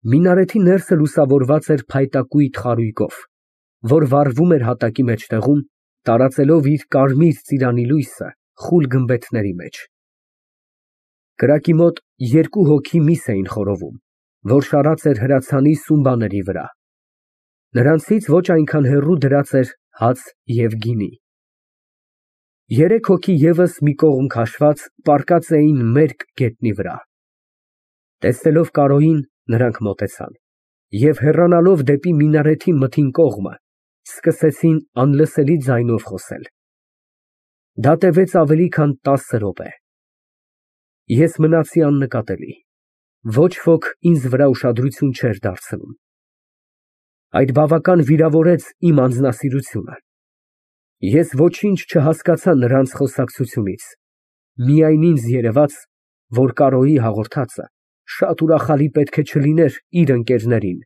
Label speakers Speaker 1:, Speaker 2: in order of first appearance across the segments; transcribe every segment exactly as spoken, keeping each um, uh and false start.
Speaker 1: Մինարեթի ներսը լուսավորված էր փայտակույտ խարույկով, որ վառվում էր հատակի մեջտեղում, տարածելով իր կարմիր ծիրանի լույսը խուլ գմբեթների մեջ։ Կրակի մոտ երկու հոգի միս էին խորովում, որ շարած էր հրացանի սումբաների վրա, նրանցից ոչ այնքան հեռու դրած էր հաց և գինի։ Երեք հոգի ևս մի կողմ քաշված պառկած էին մերկ գետնի վրա։ Տեսնելով Կարոյին, նրանք մոտեցան և հեռանալով դեպի մինարեթի մթին կողմը, սկսեցին անլսելի ձայնով խոսել։ Դա տևեց ավելի քան տասը րոպե։ Ես մնացի աննկատելի, ոչ ոք ինձ վրա ուշադրություն չէր դարձնում։ Այդ բավական վիրավորեց իմ անձնասիրությունը։ Ես ոչինչ չհասկացա նրանց խոսակցությունից, միայն ինձ երևաց, որ Կարոյի հաղորդածը շատ ուրախալի պետք է չլիներ իր ընկերներին,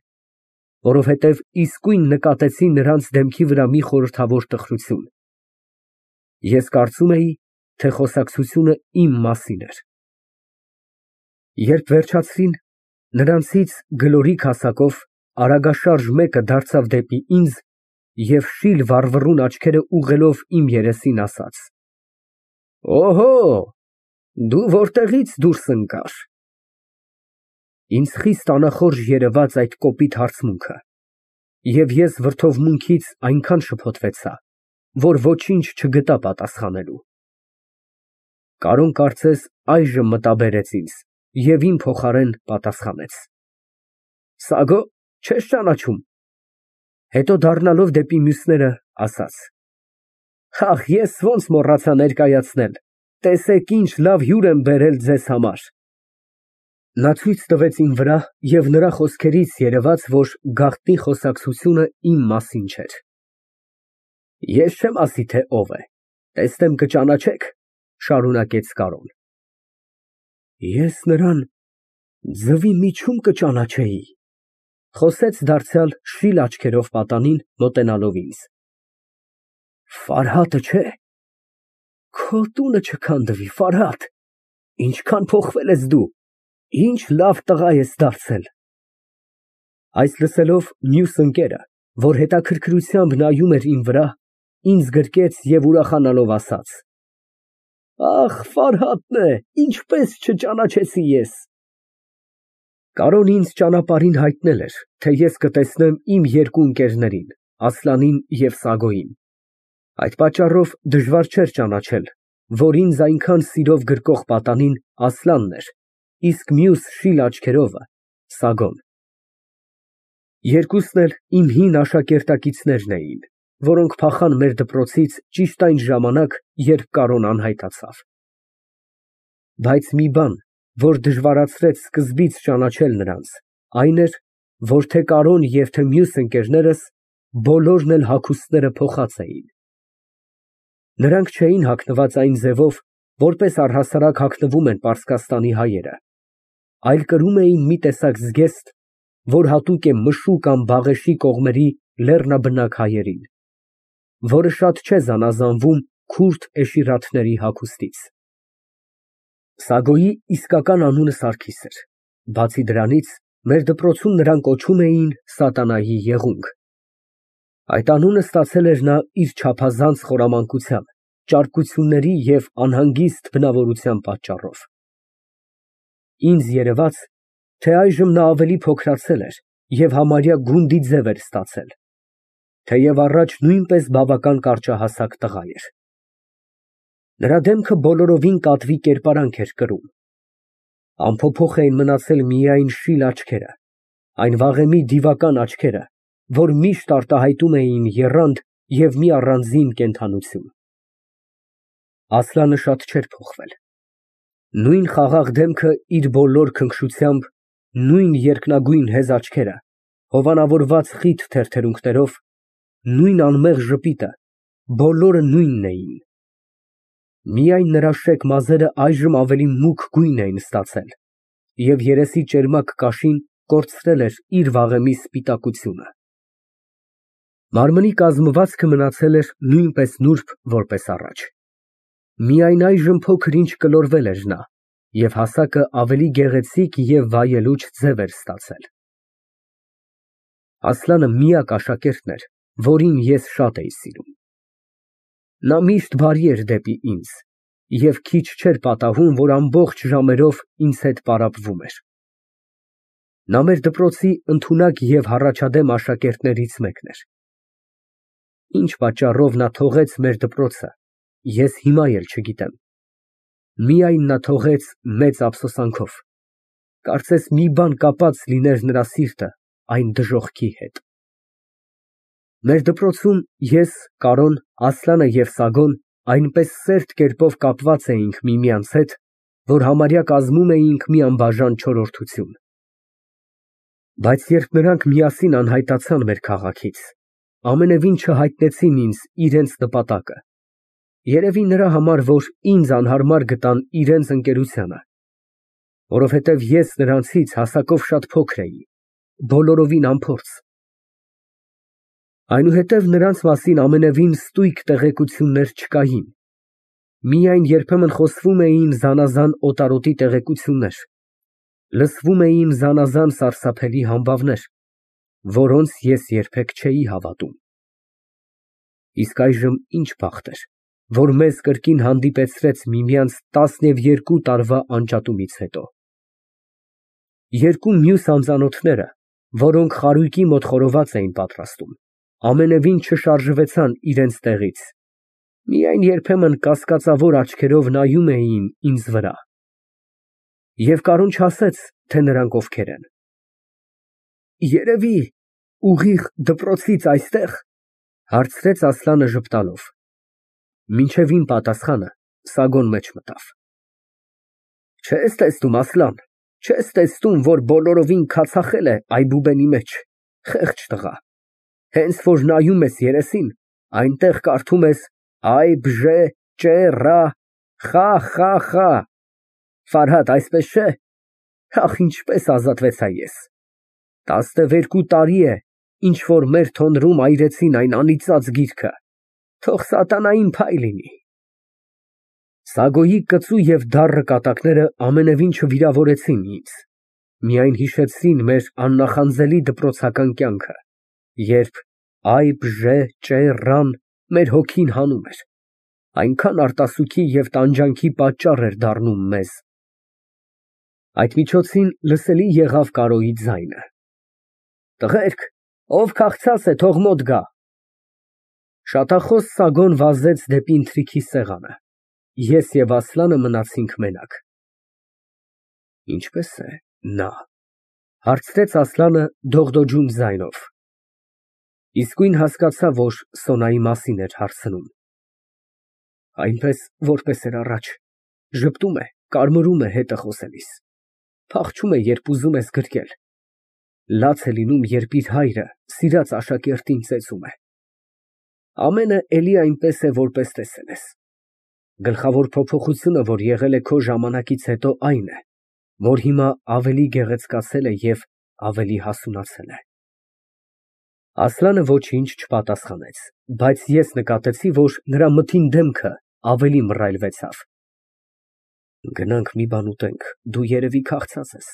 Speaker 1: որովհետև իսկույն նկատեցի նրանց դեմքի վրա մի խորհրդավոր տխրություն։ Ես կարծում էի, թե խոսակցությունը իմ մասին էր։ Երբ վերջացրին, նրանցից գլորիկ հասակով արագաշարժ մեկը դարձավ դեպի ինձ և շիլ վառվռուն աչքերը ուղղելով իմ երեսին, ասաց. «Օհո, դու որտեղի՞ց դուրս ընկար»։ Ինձ խիստ անախորժ երևաց այդ կոպիտ հարցմունքը, և ես վրդովմունքից այնքան շփոթվեցա, որ ոչինչ չգտա պատասխանելու։ Կարոն կարծես այժմ մտաբերեց ինձ և իմ փոխարեն պատասխանեց. «Սագո, չե՞ս ճանաչում»։ Հետո դառնալով դեպի մյուսները, ասաց. «Ախ, ես ոնց մոռացա ներկայացնել, տեսեք ինչ լավ հյուր եմ բերել ձեզ համար»։ Նա ցույց տվեց իմ վրա և նրա խոսքերից երևաց, որ գաղտնի խոսակցությունը իմ մասին չէր։ Ես չեմ ասի, թե ով է, տեսնեմ կճանաչեք, շարունակեց Կարոն։ Ես նրան ձվի միջում կճանաչեի, խոսեց դարձյալ շիլ աչքերով պատանին, մոտենալով ինձ։ Ֆարհատը չէ։ Քո տունը չքանդվի, Ֆարհադ, ինչքան փոխվել ես դու, ինչ լավ տղա ես դարձել։ Այս լսելով, մյուս ընկերը, որ հետաքրքրությամբ նայում էր իմ վրա, ինձ գրկեց և ուրախանալով ասաց. Ախ, Ֆարհատն է, ինչպես չճանաչեցի ես։ Կարոն ինձ ճանապարհին հայտնել էր, թե ես կտեսնեմ իմ երկու ընկերներին, Ասլանին և Սագոյին։ Այդ պատճառով դժվար չէր ճանաչել, որ ինձ այնքան սիրով գրկող պատանին Ասլանն էր, իսկ մյուս շիլ աչքերովը Սագոն։ Երկուսն էլ իմ հին աշակերտակիցներն էին, որոնք փախան մեր դպրոցից ճիշտ այն ժամանակ, երբ Կարոն անհայտացավ։ Բայց մի բան, որ դժվարացրեց սկզբից ճանաչել նրանց, այն էր, որ թե Կարոն և թե մյուս ընկերներս բոլորն էլ հագուստները փոխած էին։ Նրանք չէին հագնված այն ձևով, որպես առհասարակ հագնվում են Պարսկաստանի հայերը, այլ կրում էին մի տեսակ զգեստ, որ հատուկ է Մշու կամ Բաղեշի կողմերի լեռնաբնակ հայերին, որը շատ չէ զանազանվում քուրդ էշիրաթների հագուստից։ Սագոյի իսկական անունը Սարգիս էր, բացի դրանից մեր դպրոցում նրան կոչում էին Սատանայի եղունգ։ Այդ անունը ստացել էր նա իր չափազանց խորամանկության, ճարպկությունների և անհանգիստ բնավորության պատճառով։ Ինձ երևաց, թե այժմ նա ավելի փոքրացել էր և համարյա գունդի ձև էր ստացել, թեև առաջ նույնպես բավական կարճահասակ տղա էր։ Նրա դեմքը բոլորովին կատվի կերպարանք էր կրում։ Անփոփոխ էին մնացել միայն շիլ աչքերը, այն վաղեմի դիվական աչքերը, որ միշտ արտահայտում էին եռանդ և մի առանձին կենդանություն։ Ասլանը շատ չէր փոխվել։ Նույն խաղաղ դեմքը իր բոլոր քնքշությամբ, նույն երկնագույն հեզ աչքերը, հովանավորված խիտ թերթերունքներով, նույն անմեղ ժպիտը, բոլորը նույնն էին։ Միայն նրա շեկ մազերը այժմ ավելի մուգ գույն էին ստացել, և երեսի ճերմակ կաշին կորցրել էր իր վաղեմի սպիտակությունը։ Մարմնի կազմվածքը մնացել էր նույնպես նուրբ, որպես առաջ։ Միայն այժմ փոքր֊ինչ կլորվել էր նա, և հասակը ավելի գեղեցիկ և վայելուչ ձև էր ստացել։ Ասլանը միակ աշակերտն էր, որին ես շատ էի սիրում։ Նա միշտ բարի էր դեպի ինձ և քիչ չէր պատահում, որ ամբողջ ժամերով ինձ հետ պարապվում էր։ Նա մեր դպրոցի ընդունակ և հառաջադեմ աշակերտներից մեկն էր։ Ինչ պատճառով նա թողեց մեր դպրոցը, ես հիմա էլ չգիտեմ, միայն նա թողեց մեծ ափսոսանքով, կարծես մի բան կապած լիներ նրա սիրտը այն դժոխքի հետ։ Մեր դպրոցում ես, Կարոն, Ասլանը և Սագոն այնպես սերտ կերպով կապված էինք միմյանց հետ, որ համարյա կազմում էինք մի անբաժան չորրորդություն։ Բայց երբ նրանք միասին անհայտացան մեր քաղաքից, ամենևին չհայտնեցին ինձ իրենց նպատակը, երևի նրա համար, որ ինձ անհարմար գտան իրենց ընկերությանը, որովհետև ես նրանցից հասակով շատ փոքր էի, բոլորովին անփորձ։ Այնուհետև նրանց մասին ամենևին ստույգ տեղեկություններ չկային, միայն երբեմն խոսվում էին զանազան օտարոտի տեղեկություններ, լսվում էին զանազան սարսափելի համբավներ, որոնց ես երբեք չէի հավատում։ Իսկ այժմ ինչ բախտ էր, որ մեզ կրկին հանդիպեցրեց միմյանց տասնևերկու տարվա անջատումից հետո։ Երկու մյուս անծանոթները, որոնք խարույկի մոտ խորոված էին պատրաստում, ամենևին չշարժվեցան իրենց տեղից, միայն երբեմն կասկածավոր աչքերով նայում էին ինձ վրա։ Եվ Կարոն չասեց, թե նրանք ովքեր են։ Երևի ուղիղ դպրոցից այստեղ, հարցրեց Ասլանը ժպտալով։ Մինչև իմ պատասխանը Սագոն մեջ մտավ։ Չես տեսնում, Ասլան, չես տեսնում, որ բոլորովին քացախել է այբուբենի մեջ, խեղճ տղա, հենց որ նայում ես երեսին, այնտեղ կարդում ես այ բժե ճե ռա խա խա խա, Ֆարհադ, այսպես չէ։ Ախ, ինչպես ազատվեցա ես։ Տասնվերկու տարի է, ինչ որ մեր թոնրում այրեցին այն անիծած գիրքը, թող սատանային փայ լինի։ Սագոյի կծու և դառը կատակները ամենևին չվիրավորեցին ինձ, միայն հիշեցրին մեր աննախանձելի դպրոցական կյանքը, երբ այ բժե ճե ռան մեր հոգին հանում էր, այնքան արտասուքի և տանջանքի պատճառ էր դառնում մեզ։ Այդ միջոցին լսելի եղավ Կարոյի ձայնը. Տղերք, ով քաղցած է, թող մոտ գա։ Շատախոս Սագոն վազեց դեպի ընթրիքի սեղանը, ես և Ասլանը մնացինք մենակ։ Ինչպե՞ս է նա, հարցրեց Ասլանը դողդոջուն ձայնով։ Իսկույն հասկացա, որ Սոնայի մասին էր հարցնում։ Այնպես, որպես էր առաջ, ժպտում է, կարմրում է հետը խոսելիս, փախչում է, երբ ուզում ես գրկել, լաց է լինում, երբ իր հայրը սիրած աշակերտին ծեծում է։ Ամենը էլի այնպես է, որպես տեսել ես։ Գլխավոր փոփոխությունը, որ եղել է քո ժամանակից հետո, այն է, որ հիմա ավելի գեղեցկացել է և ավելի հասունացել է։ Ասլանը ոչինչ չպատասխանեց, բայց ես նկատեցի, որ նրա մթին դեմքը ավելի մռայլվեցավ։ Գնանք մի բան ուտենք, դու երևի քաղցած ես,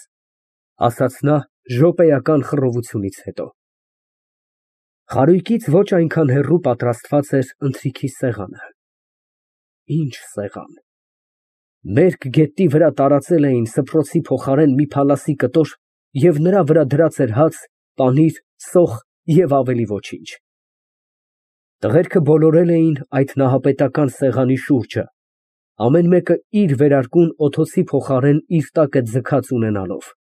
Speaker 1: ասաց նա րոպեական խռովությունից հետո։ Խարույկից ոչ այնքան հեռու պատրաստված էր ընթրիքի սեղանը։ Ինչ սեղան։ Մերկ գետնի վրա տարածել էին սփռոցի փոխարեն մի փալասի կտոր և նրա վրա դրած էր հաց, պանիր, սոխ և ավելի ոչինչ։ Տղերքը բոլորել էին այդ նահապետական սեղանի շուրջը, ամեն մեկը իր վերարկուն օթոցի փոխարեն իր տակը ձգած ունենալով։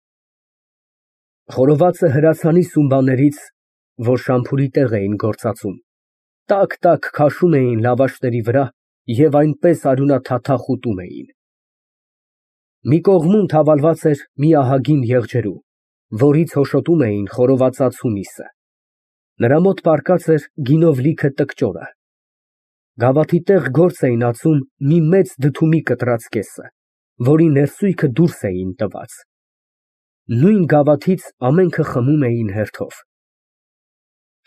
Speaker 1: Խորովածը հրացանի սումբաներից, որ շամփուրի տեղ էին գործածում, տաք֊տաք քաշում էին լավաշների վրա և այնպես արյունաթաթախ ուտում էին։ Մի կողմում թավալված էր մի ահագին եղջերու, որից հոշոտում էին խորովածածու միսը։ Նրա մոտ պառկած էր գինով լիքը տկճորը։ Գավաթի տեղ գործ էին ածում մի մեծ դդումի կտրած կեսը, որի ներսույթը դուրս էին տված։ Նույն գավաթից ամենքը խմում էին հերթով։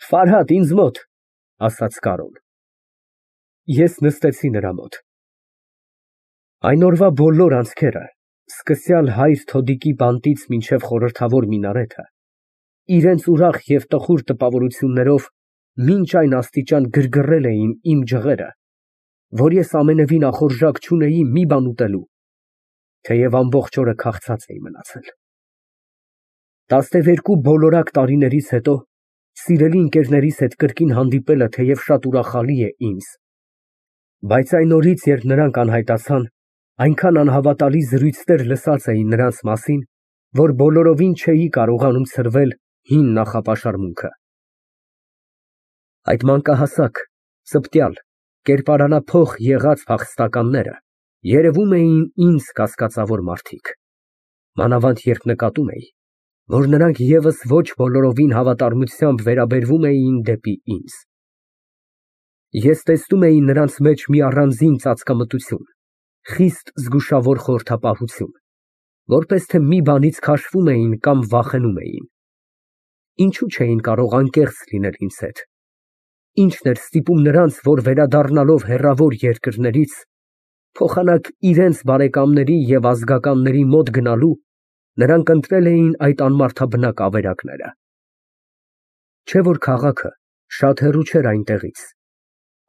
Speaker 1: Ֆարհադ, ինձ մոտ, ասաց Կարոն։ Ես նստեցի նրա մոտ։ Այն օրվա բոլոր անցքերը, սկսյալ հայր Թոդիկի բանտից մինչև խորհրդավոր մինարեթը, իրենց ուրախ և տխուր տպավորություններով մինչ այն աստիճան գրգռել էին իմ ջղերը, որ ես ամենևին ախորժակ չունեի մի բան ուտելու, թեև ամբողջ օրը քաղցած էի մնացել։ Տասնևերկու բոլորակ տարիներից հետո սիրելի ընկերներիս հետ կրկին հանդիպելը թեև շատ ուրախալի է ինձ, բայց այն օրից, երբ նրանք անհայտացան, այնքան անհավատալի զրույցներ լսած էի նրանց մասին, որ բոլորովին չէի կարողանում ցրվել հին նախապաշարմունքը։ Այդ մանկահասակ, ծպտյալ, կերպարանափոխ եղած փախստականները երևում էին ինձ կասկածավոր մարդիկ, մանավանդ երբ նկատում էի, որ նրանք ևս ոչ բոլորովին հավատարմությամբ վերաբերվում էին դեպի ինձ։ Ես տեսնում էի նրանց մեջ մի առանձին ծածկամտություն, խիստ զգուշավոր խորհրդապահություն, որպես թե մի բանից քաշվում էին կամ վախենում էին։ Ինչու չէին կարող անկեղծ լինել ինձ հետ։ Ինչն էր ստիպում նրանց, որ վերադառնալով հեռավոր երկրներից, փոխանակ իրենց բարեկամների և ազգականների մոտ գնալու, նրանք ընտրել էին այդ անմարդաբնակ ավերակները։ Չէ որ քաղաքը շատ հեռու չէր այնտեղից,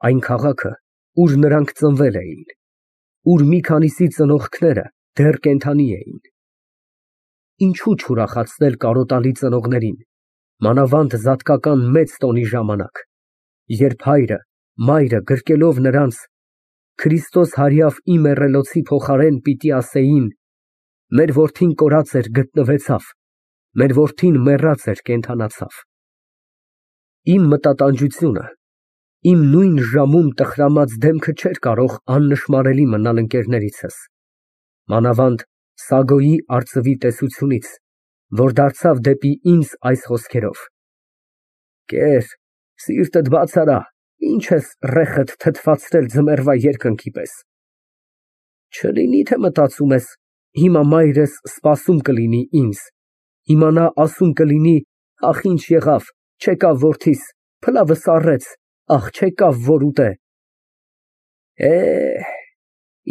Speaker 1: այն քաղաքը, ուր նրանք ծնվել էին, ուր մի քանիսի ծնողքները դեռ կենդանի էին։ Ինչու չուրախացնել կարոտալի ծնողներին, մանավանդ զատկական մեծ տոնի ժամանակ, երբ հայրը, մայրը գրկելով նրանց Քրիստոս հարյավ ի մեռելոցի փոխարեն պիտի ասեին. մեր որդին կորած էր, գտնվեցավ, մեր որդին մեռած էր, կենդանացավ։ Իմ մտատանջությունը, իմ նույն ժամում տխրամած դեմքը չէր կարող աննշմարելի մնալ ընկերներիցս, մանավանդ Սագոյի արծվի տեսությունից, որ դարձավ դեպի ինձ այս խոսքերով. «Կեր, սիրտդ բաց արա, ինչ ես ռեխդ թթվածրել ձմեռվա երկնքի պես։ Չլինի թե մտածում ես, հիմա մայրս սպասում կլինի ինձ, հիմա նա ասում կլինի, ախ ինչ եղավ, չեկավ որդիս, փլավը սառեց, ախ չեկավ որ ուտե։ Է,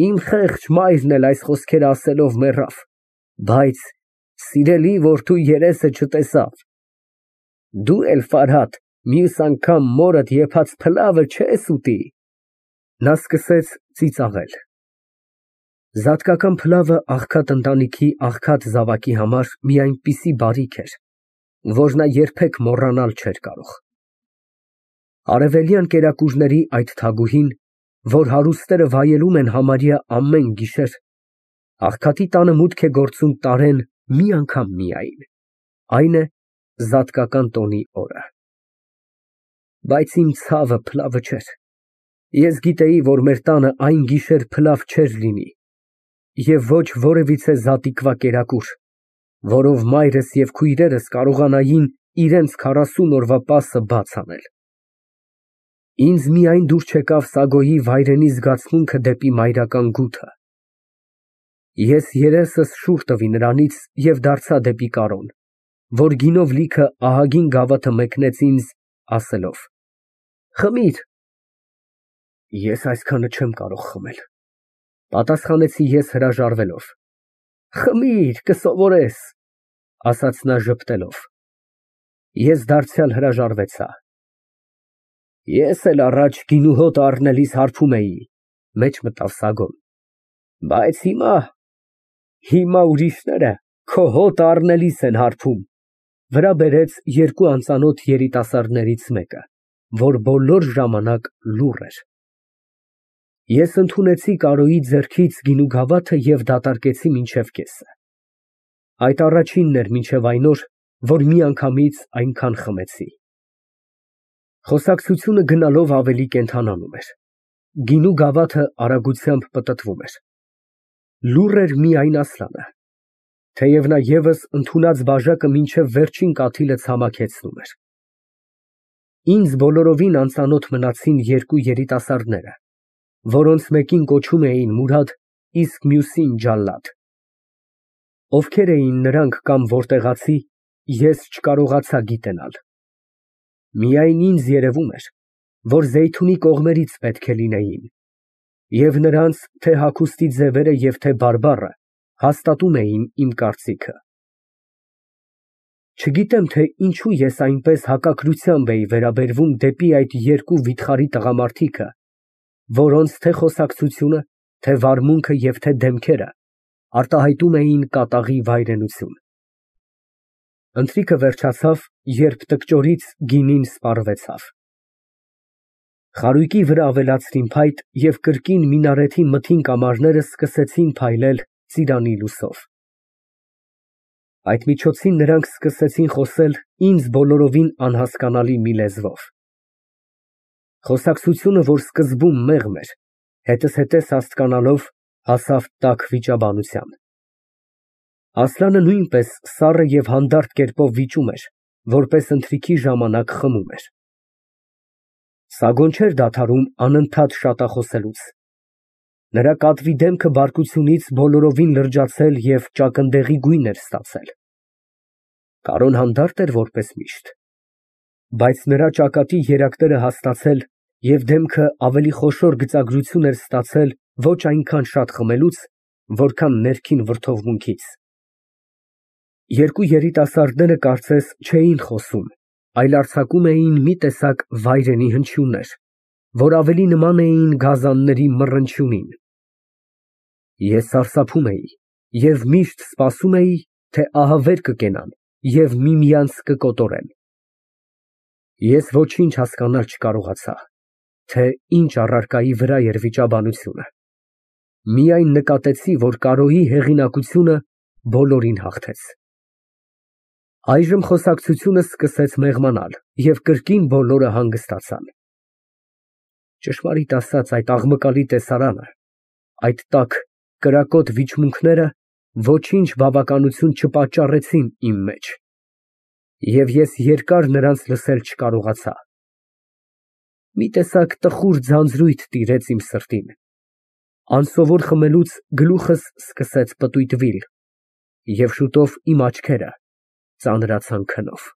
Speaker 1: իմ խեղճ մայրն էլ այս խոսքերը ասելով մեռավ, բայց սիրելի որդու երեսը չտեսավ։ Դու էլ, Ֆարհադ, մյուս անգամ մորդ եփած փլավը չես ուտի»։ Նա սկսեց ծիծաղել։ Զատկական փլավը աղքատ ընտանիքի աղքատ զավակի համար մի այնպիսի բարիք էր, որ նա երբեք մոռանալ չէր կարող։ Արևելյան կերակուրների այդ թագուհին, որ հարուստները վայելում են համարյա ամեն գիշեր, աղքատի տանը մուտք է գործում տարեն մի անգամ միայն, այն է զատկական տոնի օրը։ Բայց իմ ցավը փլավը չէր։ Ես գիտեի, որ մեր տանը այն գիշեր փլավ չէր լինի և ոչ որևիցե զատիկվա կերակուր, որով մայրս և քույրերս կարողանային իրենց քառասուն օրվա պասը բաց անել։ Ինձ միայն դուր չեկավ Սագոյի վայրենի զգացմունքը դեպի մայրական գութը։ Ես երեսս շուռ տվի նրանից և դարձա դեպի Կարոն, որ գինով լիքը ահագին գավաթը մեկնեց ինձ, ասելով. «Խմիր»։ Ես այսքանը չեմ կարող խմել, պատասխանեցի ես հրաժարվելով։ «Խմիր, կսովորես», ասաց նա ժպտելով։ Ես դարձյալ հրաժարվեցա։ Ես էլ առաջ գինու հոտը առնելիս հարբում էի, մեջ մտավ Սագոն, բայց հիմա, հիմա ուրիշները քո հոտը առնելիս են հարբում, վրա բերեց երկու անծանոթ երիտասարդներից մեկը, որ բոլոր ժամանակ լուռ էր։ Ես ընդունեցի Կարոյի ձեռքից գինու գավաթը և դատարկեցի մինչև կեսը։ Այդ առաջինն էր մինչև այն օր, որ միանգամից այնքան խմեցի։ Խոսակցությունը գնալով ավելի կենդանանում էր։ Գինու գավաթը արագությամբ պտտվում էր։ Լուռ էր միայն Ասլանը, թեև նա ևս ընդունած բաժակը մինչև վերջին կաթիլը ցամաքեցնում էր։ Ինձ բոլորովին անծանոթ մնացին երկու երիտասարդները, որոնց մեկին կոչում էին Մուրադ, իսկ մյուսին Ջալլադ։ Ովքեր էին նրանք կամ որտեղացի, ես չկարողացա գիտենալ։ Միայն ինձ երևում էր, որ Զեյթունի կողմերից պետք է լինեին, և նրանց թե հագուստի ձևերը և թե բարբառը հաստատում էին իմ կարծիքը։ Չգիտեմ, թե ինչու ես այնպես հակակրությամբ էի վերաբերվում դեպի այդ երկու վիթխարի տղամարդիկը, որոնց թե խոսակցությունը, թե վարմունքը և թե դեմքերը արտահայտում էին կատաղի վայրենություն։ Ընթրիքը վերջացավ, երբ տկճորից գինին սպառվեցավ։ Խարույկի վրա ավելացրին փայտ և կրկին մինարեթի մթին կամարները սկսեցին փայլել ծիրանի լույսով։ Այդ միջոցին նրանք սկսեցին խոսել ինձ բոլորովին անհասկանալի մի լեզվով։ Խոսակցությունը, որ սկզբում մեղմ էր, հետզհետես հասկանալով, հասավ տաք վիճաբանության։ Ասլանը նույնպես սառը և հանդարտ կերպով վիճում էր, որպես ընթրիքի ժամանակ խմում էր։ Սագոն չէր դադարում անընդհատ շատախոսելուց։ Նրա կատվի դեմքը բարկությունից բոլորովին լրջացել և ճակնդեղի գույն էր ստացել։ Կարոն հանդարտ էր որպես միշտ, բայց նրա ճակատի երակները հաստացել և դեմքը ավելի խոշոր գծագրություն էր ստացել ոչ այնքան շատ խմելուց, որքան ներքին վրդովմունքից։ Երկու երիտասարդները կարծես չէին խոսում, այլ արձակում էին մի տեսակ վայրենի հնչյուններ, որ ավելի նման էին գազանների մռնչյունին։ Ես սարսափում էի և միշտ սպասում էի, թե ահա վեր կկենան և միմյանց կկոտորեն։ Ես ոչինչ հասկանալ չկարողացա, թե ինչ առարկայի վրա էր վիճաբանությունը, միայն նկատեցի, որ Կարոյի հեղինակությունը բոլորին հաղթեց։ Այժմ խոսակցությունը սկսեց մեղմանալ, և կրկին բոլորը հանգստացան։ Ճշմարիտ ասած, այդ աղմկալի տեսարանը, այդ տաք, կրակոտ վիճմունքները ոչինչ բավականություն չպատճառեցին իմ մեջ, և ես երկար նրանց լսել չկարողացա։ Մի տեսակ տխուր ձանձրույթ տիրեց իմ սրտին, անսովոր խմելուց գլուխս սկսեց պտույտվել, և շուտով իմ աչքերը ծանրացան քնով։